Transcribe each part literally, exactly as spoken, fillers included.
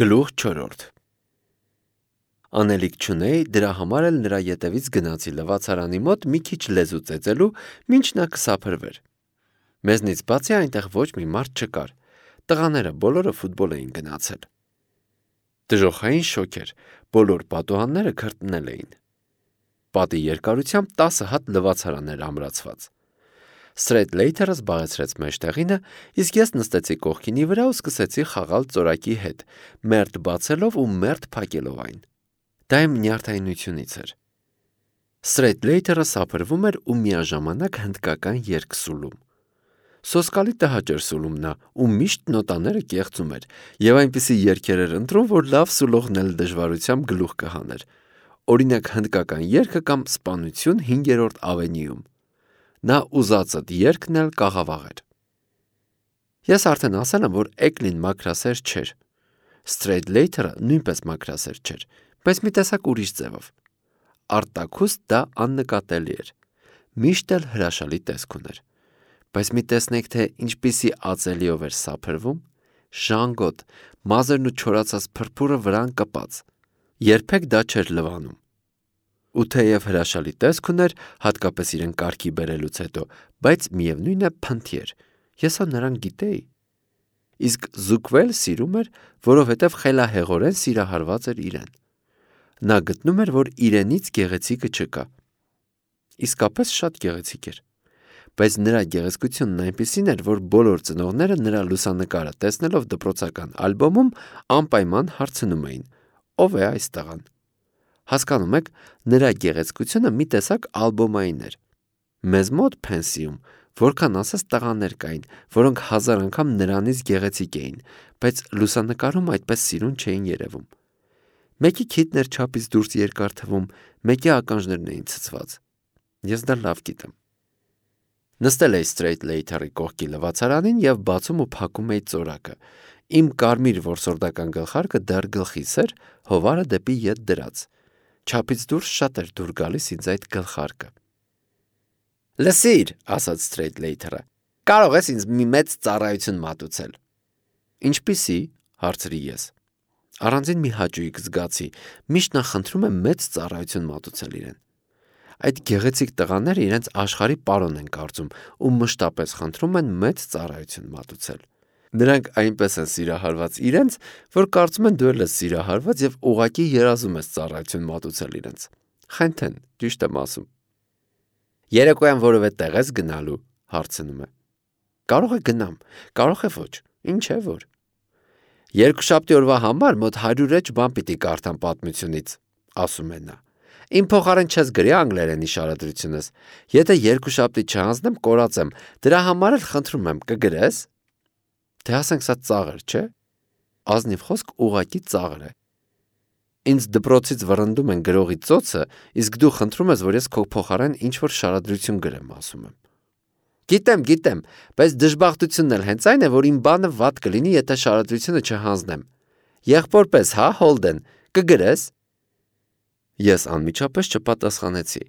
Գլուխ չորրորդ Անելիք չունեի, դրա համար էլ նրա ետևից գնացի լվացարանի մոտ մի քիչ լեզու ծեծելու, մինչ նա կսափրվեր։ Մեզնից բացի այնտեղ ոչ մի մարդ չկար, տղաները բոլորը ֆուտբոլ էին գնացել։ Դժոխային շոկ էր, բոլոր պատուհանները քրտնել էին։ Պատի երկարությամբ տասը հատ լվացարան էր ամրացված։ Սթրեյթլեյթերը զբաղեցրեց մեջտեղինը, իսկ ես նստեցի կողքինի վրա ու սկսեցի խաղալ ծորակի հետ, մերթ բացելով ու մերթ փակելով այն։ Դա իմ նյարդայնությունից էր։ Սթրեյթլեյթերը սափրվում էր ու միաժամանակ հնդկական երգ սուլում։ Սոսկալի տհաճ էր սուլում նա ու միշտ նոտաները կեղծում էր, եւ այնպիսի երգեր էր ընտրում, որ լավ սուլողն էլ դժվարությամբ գլուխ կհաներ։ Օրինակ հնդկական երգը կամ Սպանություն հինգերորդ ավենյուում։ Նա ուզածդ երգն էլ կաղավաղ էր։ Ես արդեն ասել եմ, որ Էկլին մաքրասեր չէր։ Սթրեյթլեյթերը նույնպես մաքրասեր չէր, բայց մի տեսակ ուրիշ ձևով։ Արտաքուստ դա աննկատելի էր։ Միշտ էլ հրաշալի տեսք ուներ։ Բայց մի տեսնեք, թե ինչպիսի ածելիով էր սափրվում, ժանգոտ, մազերն ու չորացած փրփուրը վրան կպած։ Երբեք դա չէր լվանում։ Ու թեև հրաշալի տեսք ուներ, հատկապես իրեն կարգի բերելուց հետո, բայց միևնույն է փնթի էր։ Ես հա նրան գիտեի։ Իսկ զուգվել սիրում էր, որովհետև խելահեղորեն սիրահարված էր իրեն։ Նա գտնում էր, որ իրենից գեղեցիկը չկա։ Իսկապես շատ գեղեցիկ էր։ Բայց նրա գեղեցկությունն այնպիսին էր, որ բոլոր ծնողները նրա լուսանկարը տեսնելով դպրոցական ալբոմում անպայման հարցնում էին. ով է այս տղան։ Հասկանում եք, նրա գեղեցկությունը մի տեսակ ալբոմային էր։ Մեզ մոտ փենսիում որքան ասես տղաներ կային, որոնք հազար անգամ նրանից գեղեցիկ էին, բայց լուսանկարում այդպես սիրուն չէին երևում։ Մեկի քիթն էր չափից դուրս երկար թվում, մեկի ականջներն էին ցցված։ Ես դա լավ գիտեմ։ Նստել էի Սթրեյթլեյթերի կողքի լվացարանին եւ բացում ու փակում էի ծորակը։ Իմ կարմիր որսորդական գլխարկը դեռ գլխիս էր, հովարը դեպի ետ դրած։ Չափից դուրս շատ էր դուր գալիս ինձ այդ գլխարկը։ Լսիր, ասաց Սթրեյթլեյթերը, կարող ես ինձ մի մեծ ծառայություն մատուցել։ Ինչպիսի, հարցրի ես։ Առանձին մի հաճույք զգացի, միշտ նա խնդրում է մեծ ծառայություն մատուցել իրեն։ Այդ գեղեցիկ տղաները իրենց աշխարհի պարոն են կարծում ու մշտապես խնդրում են մեծ ծառայություն մատուցել։ Նրանք այնպես են սիրահարված իրենց, որ կարծում են դու էլ ես սիրահարված եւ ուղղակի երազում ես ծառայություն մատուցել իրենց։ Խենթեն, ճիշտ եմ ասում։ Երեկոյան որևէ տեղ ես գնալու, հարցնում է։ Կարող է գնամ, կարող է ոչ, ինչ է որ։ Երկուշաբթի օրվա համար մոտ հարյուր էջ բան պիտի կարդամ պատմությունից, ասում է նա։ Իմ փոխարեն չես գրի անգլերենի շարադրությունս։ Եթե երկուշաբթի չհանձնեմ, կորածեմ, դրա համար էլ խնդրում եմ, կգրես։ Թե ասենք սա ծաղր, չէ։ Ազնիվ խոսք ուղակի ծաղր է։ Ինձ դպրոցից վռնդում են գրողի ծոցը, իսկ դու խնդրում ես, որ ես քո փոխարեն ինչ-որ շարադրություն գրեմ, ասում եմ։ Գիտեմ, գիտեմ, բայց դժբախտությունն էլ հենց այն է, որ իմ բանը վատ կլինի, եթե շարադրությունը չհանձնեմ։ Եղբորպես, հա, Հոլդեն, կգրես։ Ես անմիջապես չպատասխանեցի։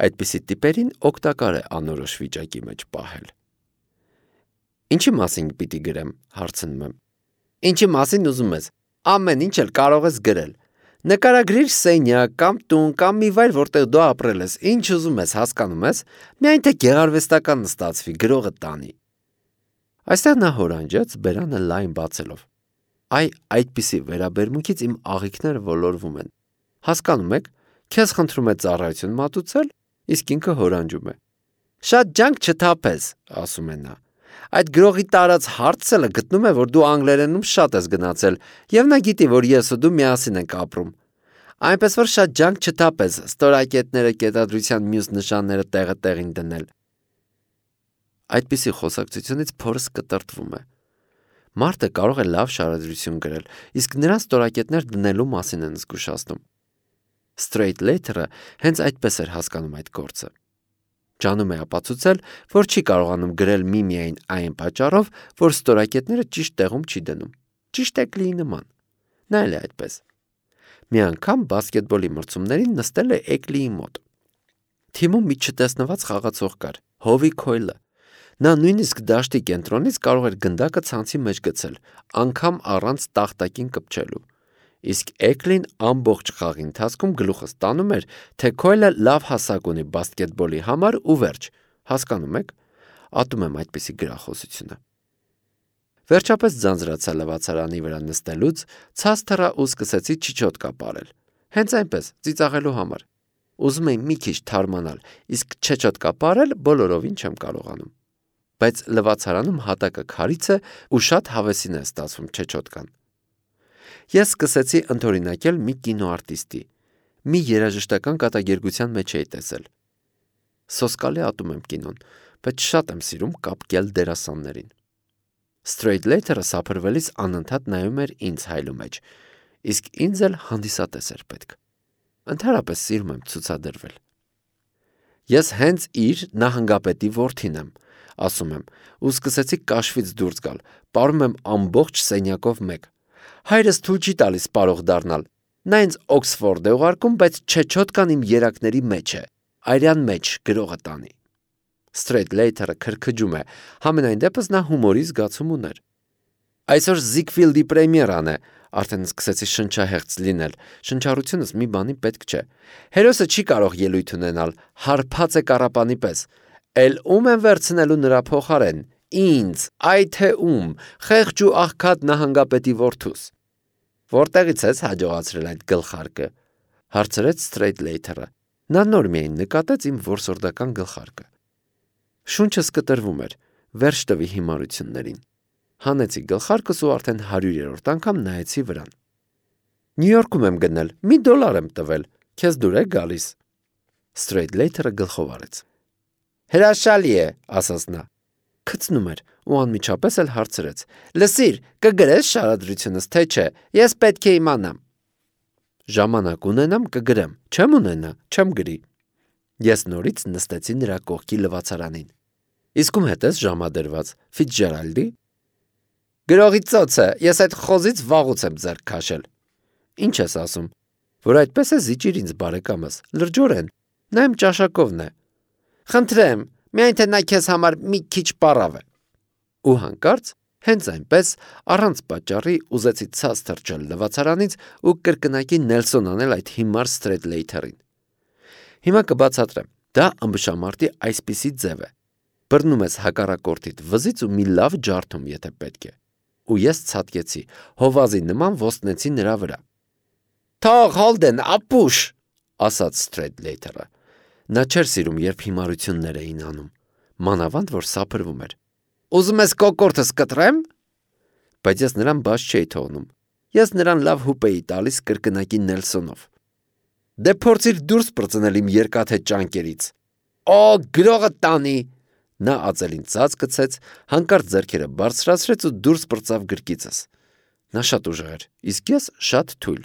Այդպիսի տիպերին օգտակար է անորոշ վիճակի մեջ պահել։ Ինչի մասին պիտի գրեմ, հարցնում եմ։ Ինչի մասին ուզում ես։ Ամեն ինչ էլ կարող ես գրել։ Նկարագրիր սենյակ կամ տուն կամ մի վայր, որտեղ դու ապրել ես, ինչ ուզում ես, հասկանում ես, միայն թե գեղարվեստական ստացվի, գրողը տանի։ Այստեղ նա հորանջեց, բերանը լայն բացելով։ Այ այդպիսի վերաբերմունքից իմ աղիքները ոլորվում են։ Հասկանում եք, քեզ խնդրում է ծառայություն մատուցել, իսկ ինքը հորանջում է։ Շատ ջանք չթափես, ասում է նա։ Այդ գրողի տարած հարցելը գտնում է, որ դու անգլերենում շատ ես գնացել, եւ նա գիտի, որ ես ու դու միասին ենք ապրում։ Այնպես որ շատ ջանք չթափես, ստորակետները, կետադրության մյուս նշանները տեղը տեղին դնել։ Այդպիսի խոսակցությունից փորս կտրտվում է։ Մարդը կարող է լավ շարադրություն գրել, իսկ նրան ստորակետներ դնելու մասին են զգուշացնում։ Սթրեյթլեյթերը հենց այդպես էր հասկանում այդ գործը։ Ջանում է ապացուցել, որ չի կարողանում գրել միմիայն այն պատճառով, որ ստորակետները ճիշտ տեղում չի դնում։ Ճիշտ Էկլիի նման։ Նա էլ է այդպես։ Մի անգամ բասկետբոլի մրցումներին նստել է Էկլիի մոտ։ Թիմում մի չտեսնված խաղացող կար, Հովի Քոյլը։ Նա նույնիսկ դաշտի կենտրոնից կարող էր գնդակը ցանցի մեջ գցել, անգամ առանց տախտակին կպչելու։ Իսկ Էկլին ամբողջ խաղի ընթացքում գլուխս տանում էր, թե Քոյլը լավ հասակ ունի բասկետբոլի համար ու վերջ, հասկանում եք, ատում եմ այդպիսի գրախոսությունը։ Վերջապես ձանձրացա լվացարանի վրա նստելուց, ցած թռա ու սկսեցի չիչոտկա պարել, հենց այնպես, ծիծաղելու համար։ Ուզում էի մի քիչ թարմանալ, իսկ չեչոտկա պարել բոլորովին չեմ կարողանում։ Բայց լվացարանում հատակը քարից է ու շատ հավեսին է ստացվում չեչոտկան։ Ես սկսեցի ընդօրինակել մի կինոարտիստի, մի երաժշտական կատակերգության մեջ էի տեսել։ Սոսկալի ատում եմ կինոն, բայց շատ եմ սիրում կապկել դերասաններին։ Սթրեյթլեյթերը սափրվելիս անընդհատ նայում էր ինձ հայլու մեջ, իսկ ինձ էլ հանդիսատես էր պետք։ Ընդհանրապես սիրում եմ ցուցադրվել։ Ես հենց իր նահանգապետի որդին եմ, ասում եմ, ու սկսեցի կաշվից դուրս գալ, պարում եմ ամբողջ սենյակով մեկ։ Հայրս թույլ չի տալիս պարող դառնալ։ Նա ինձ Օքսֆորդ է ուղարկում, բայց չեչոտկան իմ երակների մեջ է, այրյան մեջ գրողը տանի։ Սթրեյթլեյթերը քրքջում է, համենայն դեպս նա հումորի զգացում ուներ։ Այսօր Զիգֆիլդի պրեմիերան է, արդեն սկսեցի շնչահեղձ լինել, շնչառությունս մի բանի պետք չէ։ Հերոսը չի կարող ելույթ ունենալ, հարբած է կառապանի պես։ Էլ ում են վերցնելու նրա փոխարեն։ Ինձ, այ թե ում, խեղճ ու աղքատ նահանգապետի որդուս։ Որտեղից ես հաջողացրել այդ գլխարկը, հարցրեց Սթրեյթլեյթերը։ Նա նոր միայն նկատեց իմ որսորդական գլխարկը։ Շունչս կտրվում էր, վերջ տվի հիմարություններին։ Հանեցի գլխարկս ու արդեն հարյուրերորդ անգամ նայեցի վրան։ Նյու Յորքում եմ գնել, մի դոլար եմ տվել, քեզ դուր է գալիս։ Սթրեյթլեյթերը գլխով արեց։ Հրաշալի է, ասաց նա։ Քցնում էր ու անմիջապես էլ հարցրեց. Լսիր, կգրես շարադրությունս, թե չէ, ես պետք է իմանամ։ Ժամանակ ունենամ կգրեմ, չեմ ունենա, չեմ գրի։ Ես նորից նստեցի նրա կողքի լվացարանին։ Իսկ ում հետ ես ժամադրված, Ֆիցջերալդի։ Գրողի ծոցը, ես այդ խոզից վաղուց եմ ձեռք քաշել։ Ինչ ես ասում, որ այդպես է զիջիր ինձ բարեկամս, լրջորեն, նա իմ ճաշակովն է։ Խնդրեմ, միայն թե նա քեզ համար մի քիչ պարավ է։ Ու հանկարծ, հենց այնպես, առանց պատճառի ուզեցի ցած թռչել լվացարանից ու կրկնակի Նելսոն անել այդ հիմար Սթրեյթլեյթերին։ Հիմա կբացատրեմ, դա ըմբշամարտի այսպիսի ձև է։ Բռնում ես հակառակորդիդ վզից ու մի լավ ջարդում, եթե պետք է։ Ու ես ցատկեցի, հովազի նման ոստնեցի նրա վրա։ Թող Հոլդեն, ապուշ, ասաց Սթրեյթլեյթերը։ Նա չէր սիրում, երբ հիմարություններ էին անում, մանավանդ որ սափրվում էր։ Ուզում ես կոկորտս կտրեմ։ Բայց ես նրան բաց չէի թողնում։ Ես նրան լավ հուպ էի տալիս կրկնակի Նելսոնով։ Դե փորձիր դուրս պրծնել իմ երկաթե ճանկերից։ Օ, գրողը տանի։ Նա ածելին ծած գցեց, հանկարծ ձեռքերը բարձրացրեց ու դուրս պրծավ գրկիցս։ Նա շատ ուժեղ էր, իսկ ես շատ թույլ։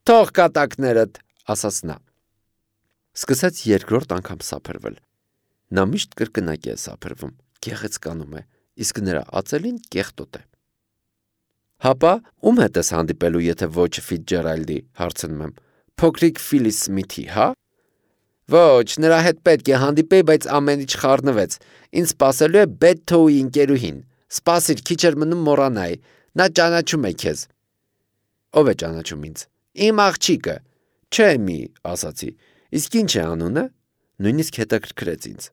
Թող կատակներդ, ասաց նա։ Սկսեց երկրորդ անգամ սափրվել։ Նա միշտ կրկնակի է սափրվում, գեղեցկանում է, իսկ նրա ածելին կեղտոտ է։ Հապա, ում հետ ես հանդիպելու, եթե ոչ Ֆիցջերալդի, հարցնում եմ։ Փոքրիկ Ֆիլիս Սմիթի, հա։ Ոչ, նրա հետ պետք է հանդիպեի, բայց ամեն ինչ խառնվեց։ Ինձ սպասելու է Բեթթոուի ընկերուհին։ Սպասիր, քիչ էր մնում մոռանայի։ Նա ճանաչում է քեզ։ Ով է ճանաչում ինձ։ Իմ աղջիկը։ Չէ մի, ասացի։ Իսկ ինչ է անունը։ Նույնիսկ հետաքրքրեց ինձ։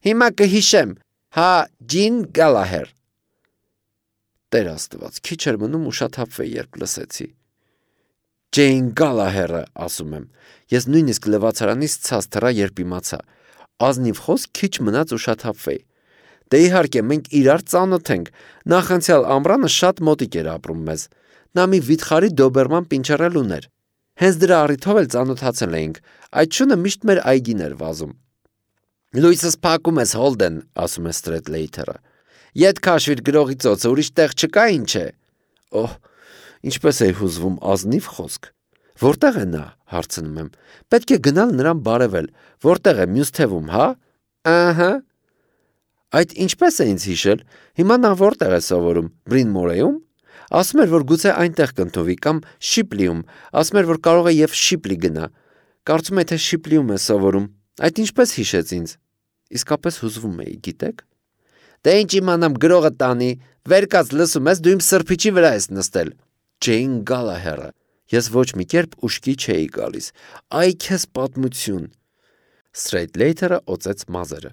Հիմա կհիշեմ, հա, Ջին Գալահեր։ Տեր Աստված, քիչ էր մնում ուշաթափվեի, երբ լսեցի։ Ջեյն Գալահերը, ասում եմ։ Ես նույնիսկ լվացարանից ցած թռա, երբ իմացա։ Ազնիվ խոսք քիչ մնաց ուշաթափվեի։ Դե իհարկե, մենք իրար ծանոթ ենք։ Նախանցյալ ամռանը շատ մոտիկ էր ապրում մեզ։ Նա մի վիթխարի դոբերման պինչերել ուներ։ Հենց դրա առիթով էլ ծանոթացել էինք։ Այդ շունը միշտ մեր այգին էր վազում։ Լույսս փակում ես, Հոլդեն, ասում է Սթրեյթլեյթերը։ Ետ քաշվիր գրողի ծոցը, ուրիշ տեղ չկա, ինչ է։ Օհ, ինչպես է հուզվում ազնիվ խոսք։ Որտեղ է նա, հարցնում եմ։ Պետք է գնալ նրան բարևել։ Որտեղ է մյուս թևում, հա։ Ահա։ Այդ ինչպես է ինձ հիշել։ Հիմա նա որտեղ է սովորում, Բրինմորեում։ Ասում էր, որ գուցե այնտեղ կընդունվի կամ Շիպլիում, ասում էր, որ կարող է եւ Շիպլի գնա։ Կարծում է, թե Շիպլիում է սովորում։ Այդ ինչպես հիշեց ինձ։ Իսկապես հուզվում էի, գիտեք։ Դե ինչ իմանամ գրողը տանի, վեր կաց լսում ես, դու իմ սրբիչի վրա ես նստել։ Ջեյն Գալահերը։ Ես ոչ մի կերպ ուշքի չէի գալիս։ Այ քեզ պատմություն։ Սթրեյթլեյթերը օծեց մազերը։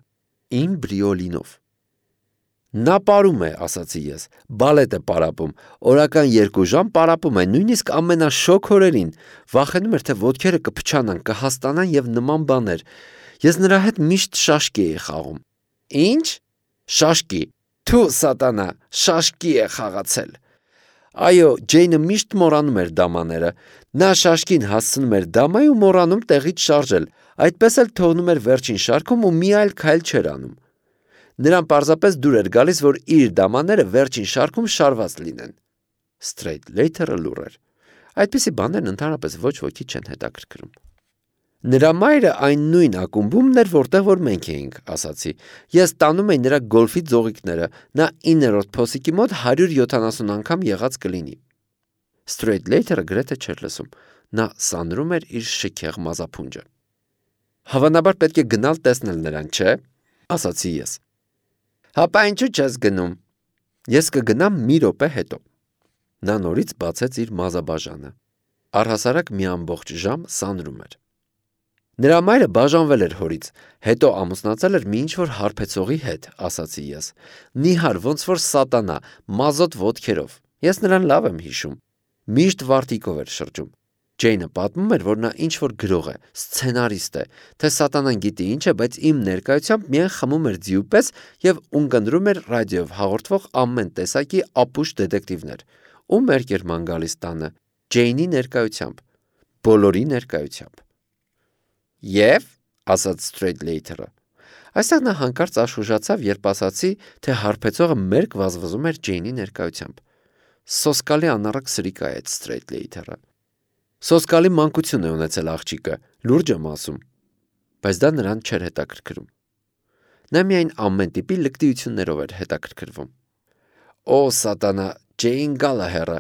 Իմ բրիոլինով։ Նա պարում է, ասացի ես, բալետ է պարապում, օրական երկու ժամ պարապում է, նույնիսկ ամենաշոգ օրերին, վախենում էր, թե ոտքերը կփչանան, կհաստանան եւ նման բաներ։ Ես նրա հետ միշտ շաշկի էի խաղում։ Ինչ? Շաշկի։ Թու սատանա, շաշկի է խաղացել։ Այո, Ջեյնը միշտ մոռանում էր դամաները։ Նա շաշկին հասցնում էր դամայի ու մոռանում տեղից շարժել, այդպես էլ թողնում էր վերջին շարքում ու մի այլ քայլ չէր անում։ Նրան պարզապես դուր էր գալիս, որ իր դամաները վերջին շարքում շարված լինեն։ Սթրեյթլեյթերը լուռ էր։ Այդպիսի բաներն ընդհանրապես ոչ ոքի չեն հետաքրքրում։ Նրա մայրը այն նույն ակումբումն էր, որտեղ որ մենք էինք, ասացի։ Ես տանում էի նրա գոլֆի ձողիկները, նա իններորդ փոսիկի մոտ հարյուր յոթանասուն անգամ եղած կլինի։ Սթրեյթլեյթերը գրեթե չէր լսում։ Նա սանրում էր իր շքեղ մազափունջը։ Հավանաբար պետք է գնալ տեսնել նրան, չէ՞, ասացի ես։ Հապա ինչու չես գնում։ Ես կգնամ մի րոպե հետո։ Նա նորից բացեց իր մազաբաժանը։ Առհասարակ մի ամբողջ ժամ սանրում էր։ Նրա մայրը բաժանվել էր հորից, հետո ամուսնացել էր մի ինչ-որ հարբեցողի հետ, ասացի ես։ Նիհար, ոնց որ սատանա, մազոտ ոտքերով։ Ես նրան լավ եմ հիշում։ Միշտ վարտիկով էր շրջում։ Ջեյնը պատմում էր, որ նա ինչ-որ գրող է, սցենարիստ է, թե սատանան գիտի ինչ է, բայց իմ ներկայությամբ միայն խմում էր ձիու պես եւ ունկնդրում էր ռադիոյով հաղորդվող ամեն տեսակի ապուշ դետեկտիվներ։ Ու մերկ էր ման գալիս տանը, Ջեյնի ներկայությամբ, բոլորի ներկայությամբ։ Եվ, ասաց Սթրեյթլեյթերը, այստեղ նա հանկարծ աշխուժացավ, երբ ասացի, թե հարբեցողը մերկ վազվզում էր Ջեյնի ներկայությամբ։ Սոսկալի անառակ սրիկա է այդ Սթրեյթլեյթերը։ Սոսկալի մանկություն է ունեցել աղջիկը, լուրջ եմ ասում, բայց դա նրան չէր հետաքրքրում։ Նա միայն ամեն տիպի լկտիություններով էր հետաքրքրվում։ Օ սատանա, Ջեյն Գալահերը,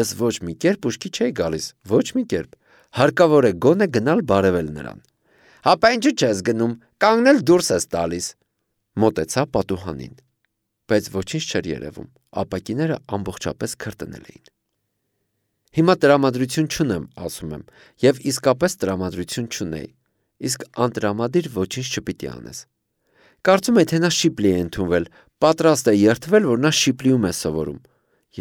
ես ոչ մի կերպ ուշքի չէի գալիս, ոչ մի կերպ, հարկավոր է գոնե գնալ բարևել նրան։ Հապա ինչու չես գնում, կանգնել դուրս ես տալիս։ Մոտեցա պատուհանին, բայց ոչինչ չէր երևում, ապակիները ամբողջապես քրտնել էին։ Հիմա տրամադրություն չունեմ, ասում եմ, եւ իսկապես տրամադրություն չունեի, իսկ անտրամադիր ոչինչ չպիտի անես։ Կարծում եմ, թե նա Շիպլի է ընդունվել, պատրաստ է երդվել, որ նա Շիպլիում է սովորում։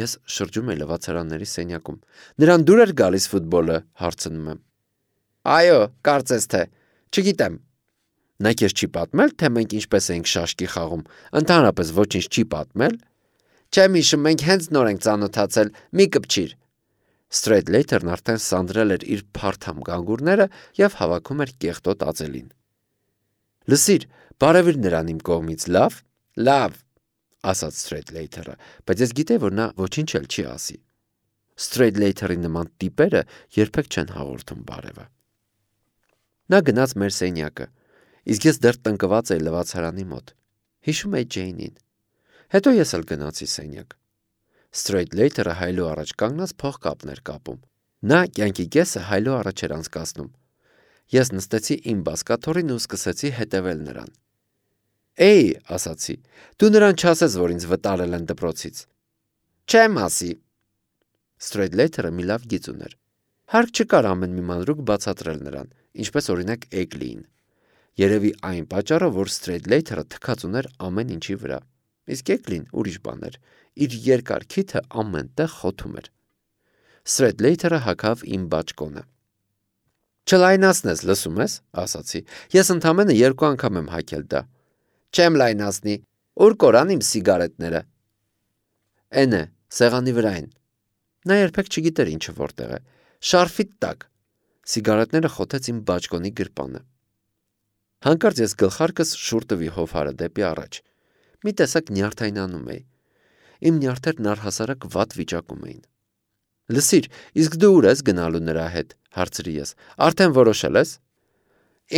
Ես շրջում եմ լվացարանների սենյակում։ Նրան դուր էր գալիս ֆուտբոլը, հարցնում եմ։ Այո, կարծես թե, չգիտեմ։ Նա քեզ չի պատմել, թե մենք ինչպես էինք շաշկի խաղում, ընդհանրապես ոչինչ չի պատմել։ Չեմ հիշում, մենք հենց նոր ենք ծանոթացել, մի կպչիր։ Սթրեյթլեյթերն արդեն սանրել էր իր փարթամ գանգուրները եւ հավաքում էր կեղտոտ ածելին։ Լսիր, բարևիր նրան իմ կողմից, լավ, լավ, ասաց Սթրեյթլեյթերը, բայց ես գիտեի, որ նա ոչինչ էլ չի ասի։ Սթրեյթլեյթերի նման տիպերը երբեք չեն հաղորդում բարևը։ Նա գնաց մեր սենյակը, իսկ ես դեռ տնկված էի լվացարանի մոտ։ Հիշում էի Ջեյնին։ Հետո ես էլ գնացի սենյակ։ Սթրեյթլեյթերը հայլու առաջ կանգնած փողկապներ կապում։ Նա կյանքի կեսը հայլու առաջ էր անցկացնում։ Ես նստեցի իմ բազկաթոռին ու սկսեցի հետևել նրան։ Էй, ասացի, դու նրան չասես, որ ինձ վտարել են դպրոցից։ Չեմ ասի։ Սթրեյթլեյթերը մի լավ գիծ ուներ։ Հարկ չկար ամեն մի մանրուք բացատրել նրան, ինչպես օրինակ Էգլիին։ Երևի այն պատճառով, որ Սթրեյթլեյթերը թքած ուներ ամեն ինչի վրա։ Իսկ Էգլին ուրիշ բան էր։ Իր երկար քիթը ամեն տեղ խոթում էր։ Սթրեյթլեյթերը հագավ իմ բաճկոնը։ Չլայնացնես, լսում ես, ասացի։ Ես ընդամենը երկու անգամ եմ հագել դա։ Չեմ լայնացնի։ Ուր կորան իմ սիգարետները։ Էն է, սեղանի վրա են։ Նա երբեք չգիտեր ինչը որտեղ է։ Շարֆիտ տակ։ Սիգարետները խոթեց իմ բաճկոնի գրպանը։ Հանկարծ ես գլխարկս շուռ տվի հովհարը դեպի առաջ։ Մի տեսակ նյարդայնանում էի։ Իմ նյարդերն առհասարակ վատ վիճակում էին։ Լսիր, իսկ դու ուր ես գնալու նրա հետ, հարցրի ես։ Արդեն որոշել ես։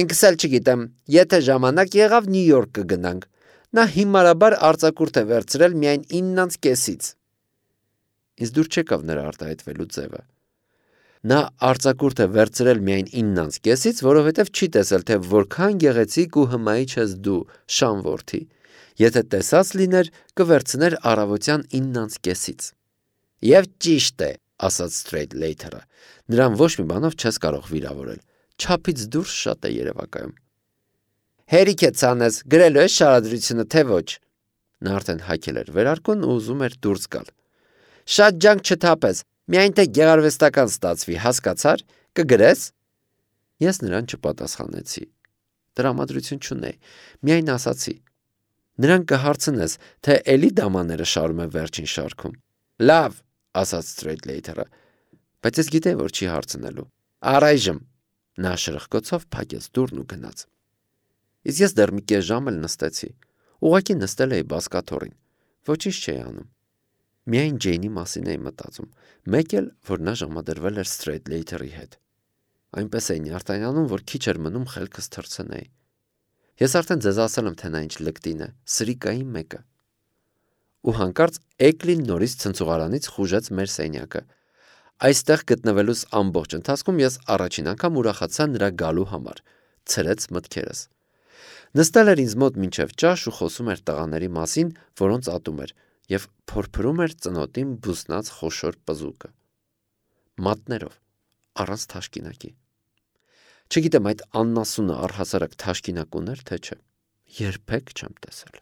Ինքս էլ չգիտեմ, եթե ժամանակ եղավ Նյու Յորք կգնանք։ Նա հիմարաբար արձակուրդ է վերցրել միայն իննանց կեսից։ Ինձ դուր չեկավ նրա արտահայտվելու ձևը։ Նա արձակուրդ է վերցրել միայն իննանց կեսից, որովհետև չի տեսել, թե որքան գեղեցիկ ու հմայիչ ես դու, Շան որդի։ Եթե տեսած լիներ, կվերցներ առավոտյան իննանց կեսից։ Եվ ճիշտ է, ասաց Սթրեյթլեյթերը, նրան ոչ մի բանով չես կարող վիրավորել, չափից դուրս շատ է երևակայում։ Հերիք է ցանես, գրելու ես շարադրությունը, թե ոչ։ Նա արդեն հագել էր վերարկուն ու ուզում էր դուրս գալ։ Շատ ջանք չթափես, միայն թե գեղարվեստական ստացվի, հասկացար, կգրես։ Ես նրան չպատասխանեցի։ Տրամադրություն չունեի, միայն ասացի. Նրան կհարցնես, թե էլի դամաները շարում է վերջին շարքում։ Լավ, ասաց Սթրեյթլեյթերը, բայց ես գիտեի, որ չի հարցնելու։ Առայժմ նա շրխկոցով փակեց դուռն ու գնաց։ Իսկ ես դեռ մի կես ժամ էլ նստեցի։ Ուղղակի նստել էի բազկաթոռին։ Ոչինչ չէի անում։ Միայն Ջեյնի մասին էի մտածում, մեկ էլ, որ նա ժամադրվել էր Սթրեյթլեյթերի հետ։ Այնպես էի նյարդայնանում, որ քիչ էր մնում խելքս թռցնեի։ Ես արդեն ձեզ ասել եմ, թե նա ինչ լկտին է, սրիկայի մեկը։ Ու հանկարծ Էկլին նորից ցնցուղարանից խուժեց մեր սենյակը։ Այստեղ գտնվելուս ամբողջ ընթացքում ես առաջին անգամ ուրախացա նրա գալու համար, ցրեց մտքերս։ Նստել էր ինձ մոտ մինչև ճաշ ու խոսում էր տղաների մասին, որոնց ատում էր, և փորփրում էր ծնոտին բուսնած խոշոր պզուկը։ Մատներով, առանց թաշկինակի։ Չգիտեմ այդ աննասունը առհասարակ թաշկինակ ուներ, թե չէ։ Երբեք չեմ տեսել։